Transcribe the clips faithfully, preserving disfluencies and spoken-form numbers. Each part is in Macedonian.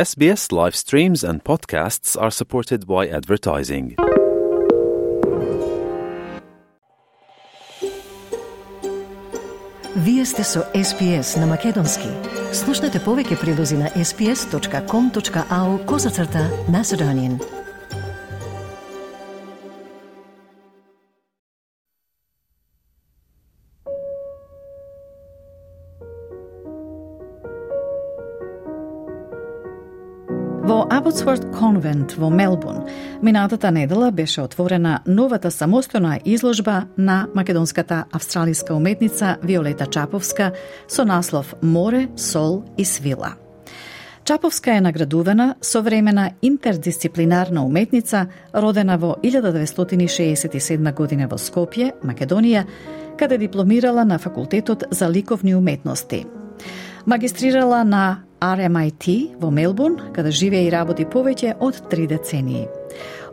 S B S live streams and podcasts are supported by advertising. Вие сте со С Б С на Македонски. Слушнете повеќе прилози на ес би ес точка ком точка ей ю козацрта Macedonian. Во Абботсворт конвент во Мелбурн, минатата недела беше отворена новата самостојна изложба на македонската австралиска уметница Виолета Чаповска со наслов Море, сол и свила. Чаповска е наградувана современа интердисциплинарна уметница, родена во илјада деветстотини шеесет и седма година во Скопје, Македонија, каде дипломирала на факултетот за ликовни уметности. Магистрирала на Ар Ем Ай Ти во Мелбурн, каде живее и работи повеќе од три децении.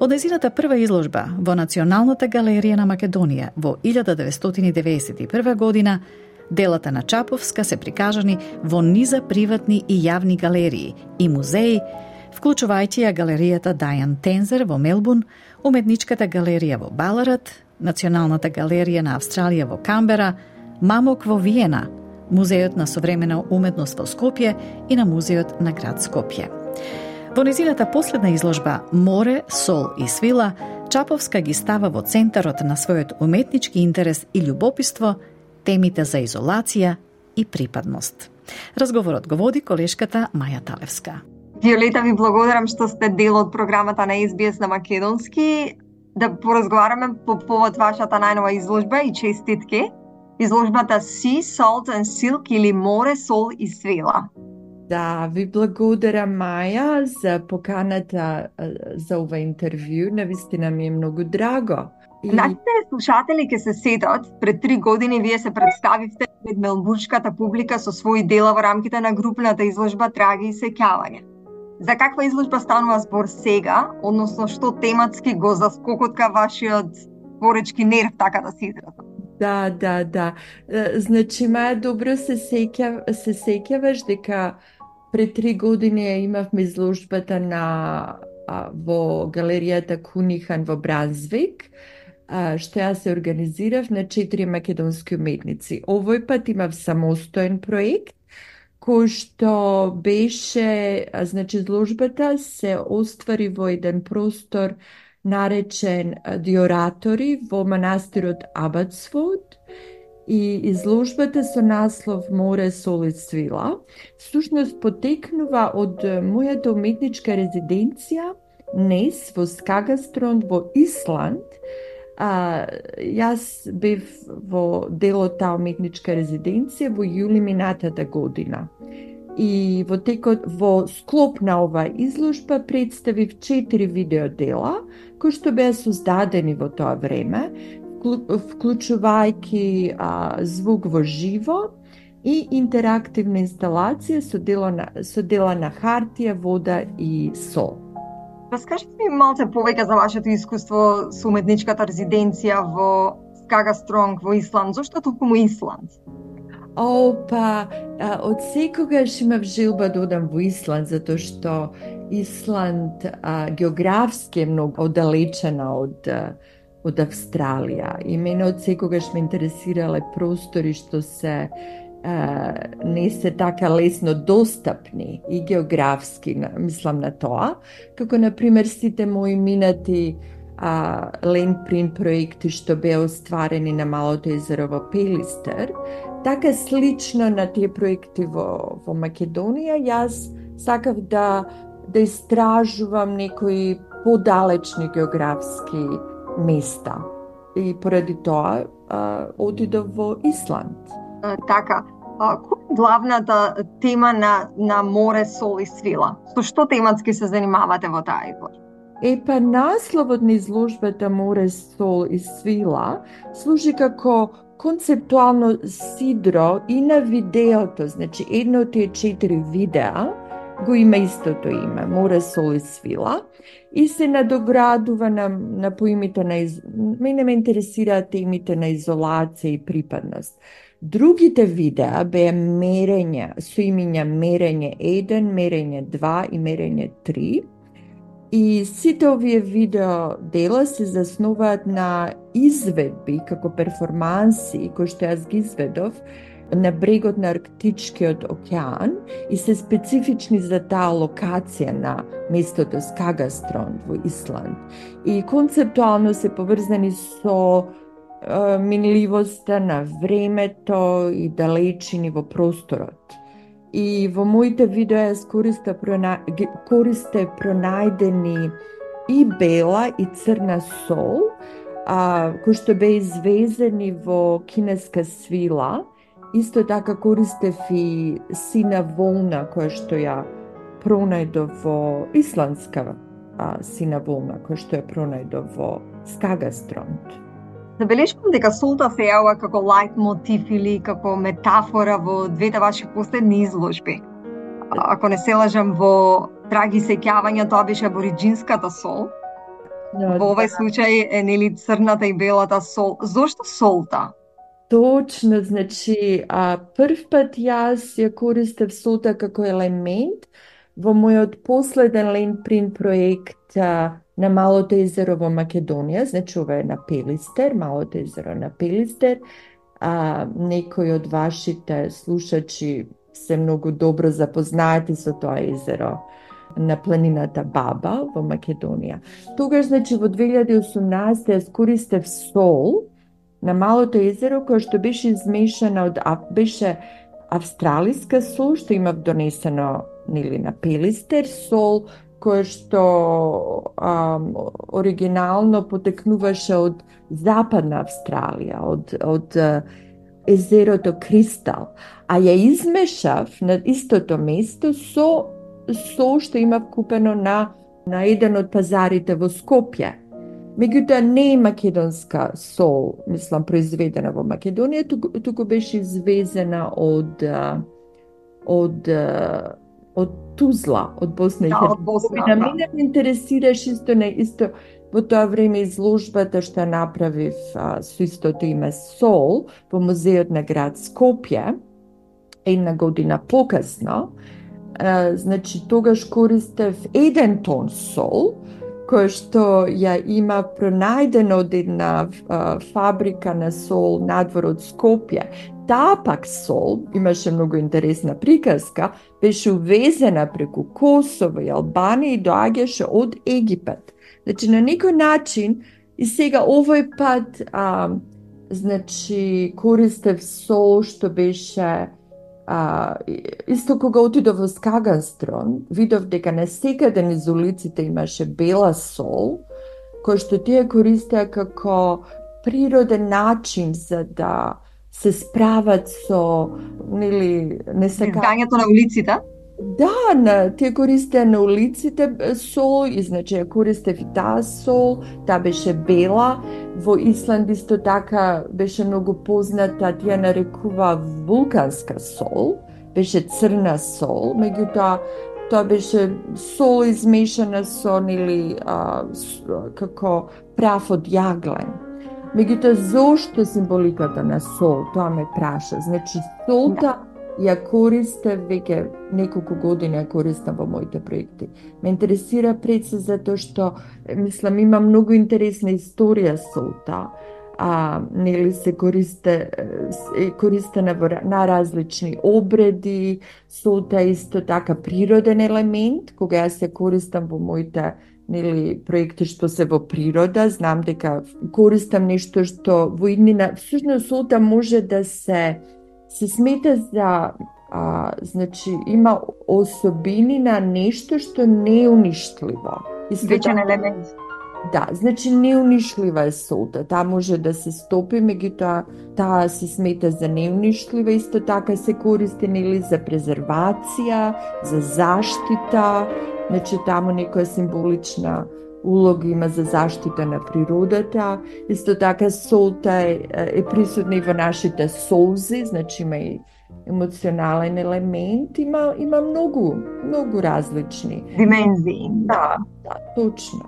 Од нејзината прва изложба во Националната галерија на Македонија во илјада деветстотини деветдесет и прва година, делата на Чаповска се прикажани во низа приватни и јавни галерии и музеи, вклучувајќи ја галеријата Дајан Тензер во Мелбурн, уметничката галерија во Баларат, Националната галерија на Австралија во Камбера, Мамок во Виена, Музејот на современа уметност во Скопје и на Музејот на град Скопје. Во незината последна изложба Море, сол и свила, Чаповска ги става во центарот на својот уметнички интерес и љубопитство темите за изолација и припадност. Разговорот го води колешката Маја Талевска. Виолета, ви благодарам што сте дел од програмата на С Б С на Македонски, да поразговараме по повод вашата најнова изложба и честитки. Изложбата Sea, Salt and Silk или Море, сол и свила. Да, ви благодарам, Маја, за поканата за ова интервју. Навистина ми е многу драго. И... Нашите слушатели ќе се сетат, пред три години вие се представивте пред мелбурнската публика со своји дела во рамките на групната изложба Траги и сеќавање. За каква изложба станува збор сега, односно што тематски го заскокотка вашиот творечки нерв, така да се изразам? Да, да, да. Значи, Маја, добро се сеќав, се сеќаваш дека пред три години имавме изложбата на а, во галеријата Кунихан во Брансвик, а, што ја се организирав на четири македонски уметници. Овој пат имав самостоен проект, кој што беше, а, значи, изложбата се оствари во еден простор наречен Диоратори во манастирот Абботсворт и изложбата со наслов Море, сол и свила всушност потекнува од мојата уметничка резиденција Нес во Скагастранд во Исланд. А, јас бев во дел од таа уметничка резиденција во јули минатата година. И во текот во склоп на оваа изложба представив четири видеодела кои што беа создадени во тоа време, вклучувајќи а, звук во живо и интерактивна инсталација со дела на, со дела на хартија, вода и сол. Раскажете ми малце повеќе за вашето искуство со уметничката резиденција во Скагастронг во Исланд. Зошто токму Исланд? О, па, а, од секогаш имав желба да одам во Исланд, затоа што Исланд а, географски е многу оддалечена од, од Австралија. И мене од секогаш ме интересирале простори што се а, не се така лесно достапни и географски, мислам на тоа, како например сите мои минати а, лендпринт проекти што беа остварени на Малото езеро во Пелистер. Така слично на тие проекти во, во Македонија, јас сакав да, да истражувам некои подалечни географски места. И поради тоа а, одидов во Исланд. А, така, а, која е главната тема на, на Море, сол и свила? Со што тематски се занимавате во таа изложба? Е, па насловот на изложбата Море, сол и свила служи како концептуално сидро и на видеото, значи едно од тие четири видеа го има истото име, Море, сол и свила, и се надоградува на, на поимите на из... мене ме интересираат темите на изолација и припадност. Другите видеа беа мерење, со имења мерење еден, мерење два и мерење три. И сите овие видео дела се заснуваат на изведби како перформанси кои што јас ги изведов на брегот на Арктичкиот океан и се специфични за таа локација на местото Скагастранд во Исланд. И концептуално се поврзани со е, минливоста на времето и далечини во просторот. И во моите видеа јас користе, прона... користе пронајдени и бела и црна сол, а, кои што беа извезени во кинеска свила. Исто така користев и сина волна, која што ја пронајдов во исландска а, сина волна, која што ја пронајдов во Скагастранд. Забелешкам дека солта се јавува како лајт мотив или како метафора во двете ваши последни изложби. Ако не се лажам, во Траги и сеќавања тоа беше абориџинската сол. No, во овој случај е нели црната и белата сол. Зошто солта? Точно, значи, а, прв пат јас ја користев солта како елемент во мојот последен ленпринт проект а, на Малото езеро во Македонија, значи ова е на Пелистер, Малото езеро на Пелистер. А, некои од вашите слушачи се многу добро запознаати со тоа езеро на планината Баба во Македонија. Тогаш, значи, во две илјади и осумнаесета јас користев сол на Малото езеро, која што беше измешана од, беше австралиска сол, што имав донесено нели на Пелистер, сол која што а, оригинално потекнуваше од Западна Австралија, од, од а, езерото Кристал, а ја измешав на истото место со сол што имав купено на, на еден од пазарите во Скопје. Меѓутоа не е македонска сол, мислам, произведена во Македонија, туку, туку беше извезена од од од Тузла, од Босна и Херцеговина. Мене ме интересираш исто на исто во тоа време изложбата што направив а, со истото име Сол во музеот на град Скопје, една година покасно. А, значи тогаш користев еден тон сол, кој што ја има пронајдено од една а, фабрика на сол надвор од Скопје. Таа пак сол, имаше многу интересна приказка, беше увезена преку Косово и Албанија и доаѓаше од Египет. Значи на некој начин и сега овој пат а, значи користев сол што беше а, исто кога отидов во Скагастранд, видов дека на секаде низ улиците имаше бела сол, кој што тие користеа како природен начин за да се справат со, нели, не се изгањето на улиците? Да, на, тие користеа на улиците сол, и значи ја користев и таа сол, таа беше бела. Во Исланд исто така беше многу позната, тие нарекува вулканска сол, беше црна сол, меѓутоа тоа беше сол измешана со, нели, а, како прав од јаглен. Меѓутоа, зошто символиката на сол? Тоа ме праша. Значи, солта ја користев веќе неколку години, ја користам во моите проекти. Ме интересира пред се затоа што, мислам, има многу интересна историја солта. А, нели се користе, е користена на различни обреди. Солта е исто така природен елемент, кога јас се користам во моите нели проекти што се во природа, знам дека користам нешто што во иднина, всушност солта може да се се смета за а, значи има особини на нешто што не е уништливо. Вечен елемент. Да, значи неунишлива е солта. Таа може да се стопи, меѓутоа таа се смета за неунишлива, исто така се користи нели за презервација, за заштита. Значи, таму некоја символична улога има за заштита на природата. Исто така солта е, е присутна и во нашите солзи, значи има и емоционален елемент, има, има многу, многу различни димензии. Да, да, точно.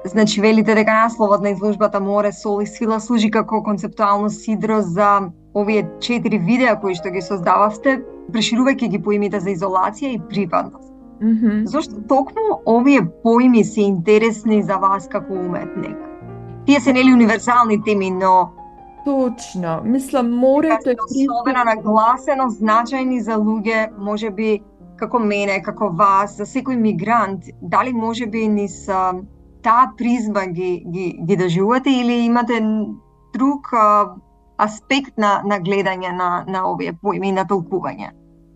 Значи, велите дека насловот на изложбата Море, сол и свила служи како концептуално сидро за овие четири видеа кои што ги создававте, преширувајќи ги поимите за изолација и приватност. Mm-hmm. Зошто токму овие поими се интересни за вас како уметник? Тие се нели универзални теми, но точно. Мислам, морето е особено нагласено значајни за луѓе, можеби како мене, како вас, за секој мигрант. Дали можеби низ таа призма ги ги ги доживувате или имате друг а, аспект на на гледање на на овие поими и на толкување?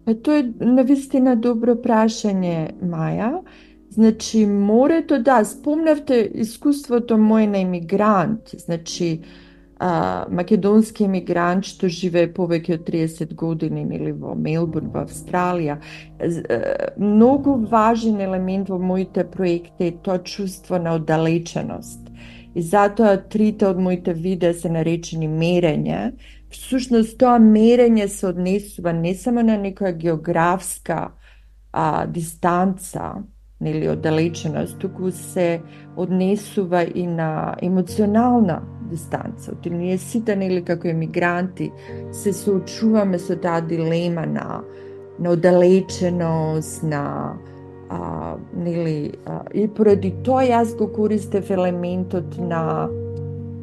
Па тоа е навистина добро прашање, Маја. Значи, морето, да, спомнавте искуството мој на емигрант, значи, а, македонски емигрант што живее повеќе од триесет години или во Мелбурн, во Австралија. Многу важен елемент во моите проекти е тоа чувство на оддалеченост. И затоа трите од моите видеа се наречени мерење. Всушност, тоа мерење се однесува не само на некоја географска а, дистанца, нели оддалеченост, туку се однесува и на емоционална дистанца. Оти ние сите, нели, како емигранти, се соочуваме со таа дилема на, на оддалеченост, на а, нели, а, и поради тоа јас го користев елементот на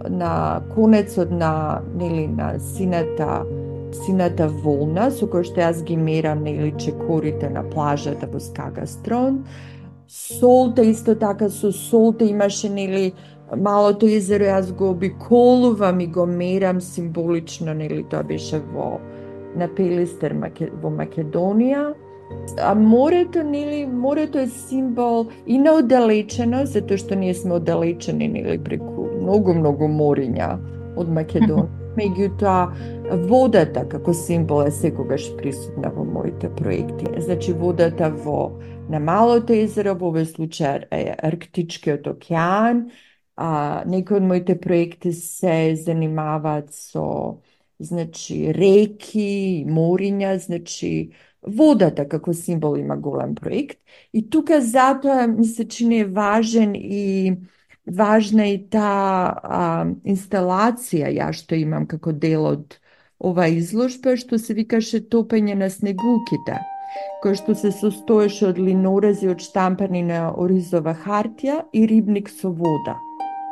на конецот на, нели, на сината сината волна, со која што јас ги мерам, нели, чекорите на плажата во Скагастрон. Солта, исто така со солта имаше, нели, малото езеро, јас го обиколувам и го мерам символично, нели, тоа беше во на Пелистер во Македонија. А морето, нели, морето е символ и на оддалеченост, затоа што ние сме оддалечени, нели, преку многу, многу мориња од Македонија. Меѓутоа, водата како символ е секогаш присутна во моите проекти. Значи, водата во на Малото езеро, во овој случај е Арктичкиот океан. А, некои од моите проекти се занимаваат со, значи, реки, мориња, значи, водата како символ има голем проект. И тука затоа ми се чини е важен и важна и таа а, инсталација ја што имам како дел од ова изложба, што се викаше Топење на снегулките, кој што се состоеше од линорези одштампани на оризова хартија и рибник со вода.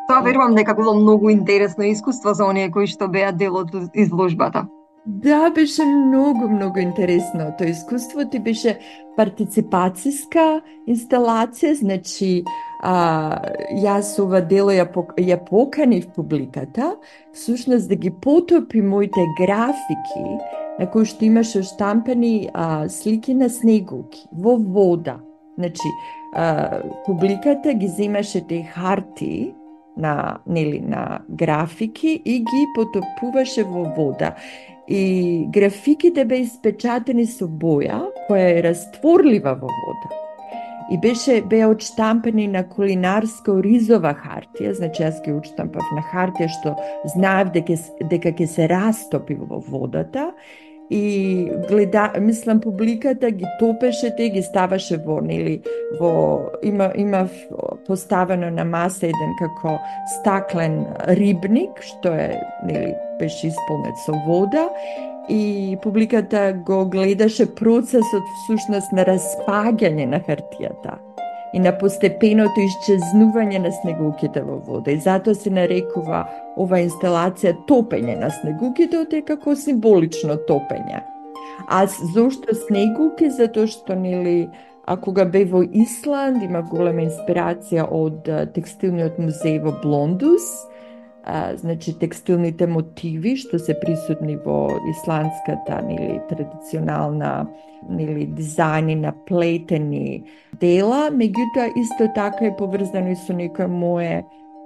Тоа верувам дека било многу интересно искуство за оние кои што беа дел од изложбата. Да, беше многу, многу интересно. Тоа искуство ти беше партиципацијска инсталација, значи а, јас ова дело ја, ја поканив публиката, всушност да ги потопи моите графики на кои што имаше штампани а, слики на снегулки во вода. Значи, а, публиката ги земаше те харти на, нели, на графики и ги потопуваше во вода. И графиките беа испечатени со боја, која е растворлива во вода. И беше беа одштампани на кулинарска оризова хартија, значи јас ги одштампав на хартија што знаев дека дека ќе се растопи во водата. И гледа, мислам, публиката ги топеше те, ги ставаше во, нели, во, има, има поставено на маса еден како стаклен рибник, што е, нели, беше исполнет со вода, и публиката го гледаше процесот всушност на распаѓање на хартијата и на постепеното исчезнување на снегулките во вода. И затоа се нарекува ова инсталација Топење на снегулките, оте како символично топење. А зошто снегулки? Затоа што, нели, а кога бев во Исланд, има голема инспирација од текстилниот музеј во Блондус, а, значи текстилните мотиви што се присутни во исландската, нели, традиционална, нели, дизајни на плетени дела, меѓутоа исто така е поврзано и со некој мое,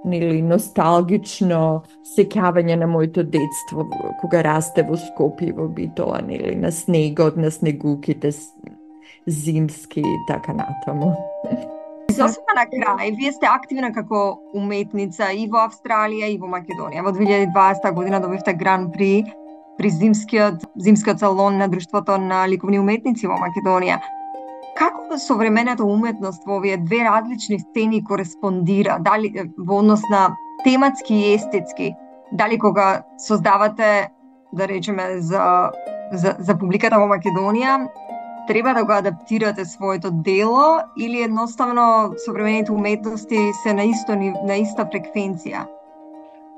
нели, носталгично сеќавање на моето детство кога расте во Скопје, во Битола, нели, на снегот, на снегулките зимски и така натаму. Сосема на крај, вие сте активна како уметница и во Австралија и во Македонија. Во две илјади и дваесета година добивте Гран При при зимскиот зимскиот салон на Друштвото на ликовни уметници во Македонија. Како современата уметност во овие две различни сцени кореспондира, дали во однос на тематски и естетски? Дали кога создавате да речеме, за, за, за публиката во Македонија, треба да го адаптирате своето дело или едноставно современите уметности се на исто на иста фреквенција?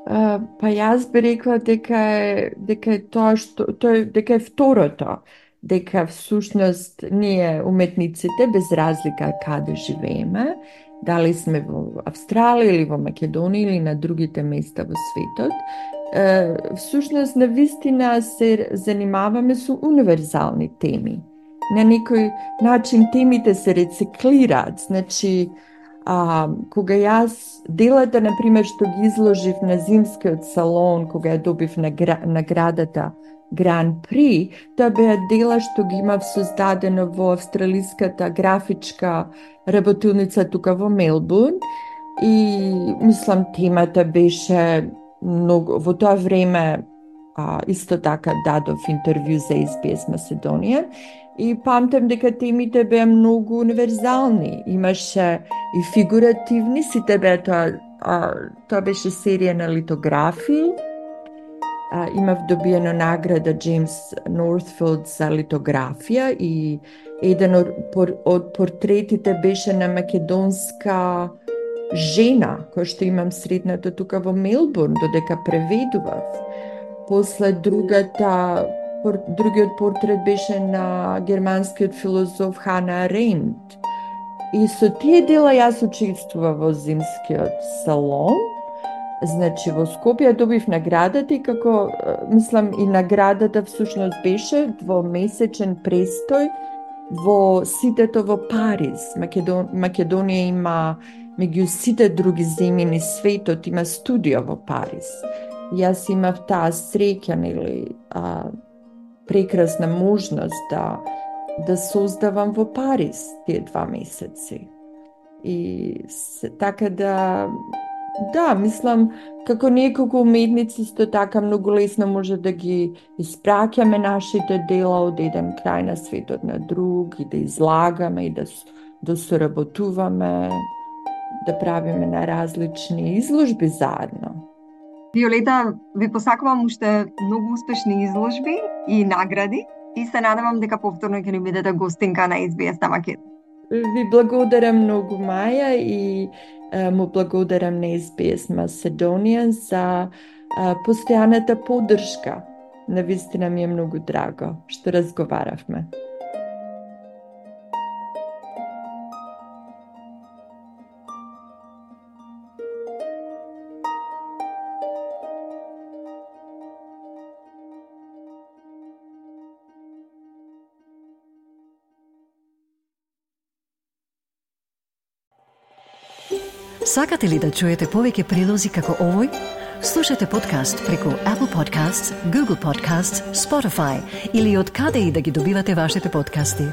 Uh, па јас би рекла дека е, дека е тоа што тој дека е второто, дека всушност ние уметниците без разлика каде живееме, дали сме во Австралија или во Македонија или на другите места во светот, uh, всушност на вистина се занимаваме со универзални теми. На некој начин темите се рециклираат, значи А, кога јас делата, например, што ги изложив на зимскиот салон, кога ја добив наградата Гран При, тоа беа дела што ги имав создадено во австралиската графичка работилница тука во Мелбурн и мислам темата беше многу, во тоа време а, исто така дадов интервју за Ес Би Ес Македонија. И памтам дека темите беа многу универзални. Имаше и фигуративни, сите беа тоа, а, тоа беше серија на литографии. А, имав добиено награда Джеймс Нортфилд за литографија и еден од, од портретите беше на македонска жена, која што имам средната тука во Мелбурн, додека преведував. После другата Другиот портрет беше на германскиот филозоф Хана Аренд. И со тие дела јас учествував во зимскиот салон. Значи во Скопје добив наградата и како, мислам, и наградата всушност беше двомесечен престој во ситето во Париз. Македон... Македонија има, меѓу сите други земји на светот, има студио во Париз. Јас имав таа среќа, нели, а, прекрасна можност да, да создавам во Париз тие два месеци. И така да, да, мислам, како неколку уметници исто така многу лесно може да ги испраќаме нашите дела од еден крај на светот на друг и да излагаме и да, да соработуваме, да правиме на различни изложби заедно. Виолета, ви посакувам уште многу успешни изложби и награди и се надевам дека повторно ќе ни бидете гостинка на Ес Би Ес на Македонија. Ви благодарам многу, Маја, и а, му благодарам на Ес Би Ес Македонија за а, постојаната поддршка. Навистина ми е многу драго што разговаравме. Сакате ли да чуете повеќе прилози како овој? Слушате подкаст преку Apple Podcasts, Google Podcasts, Spotify или од каде и да ги добивате вашите подкасти.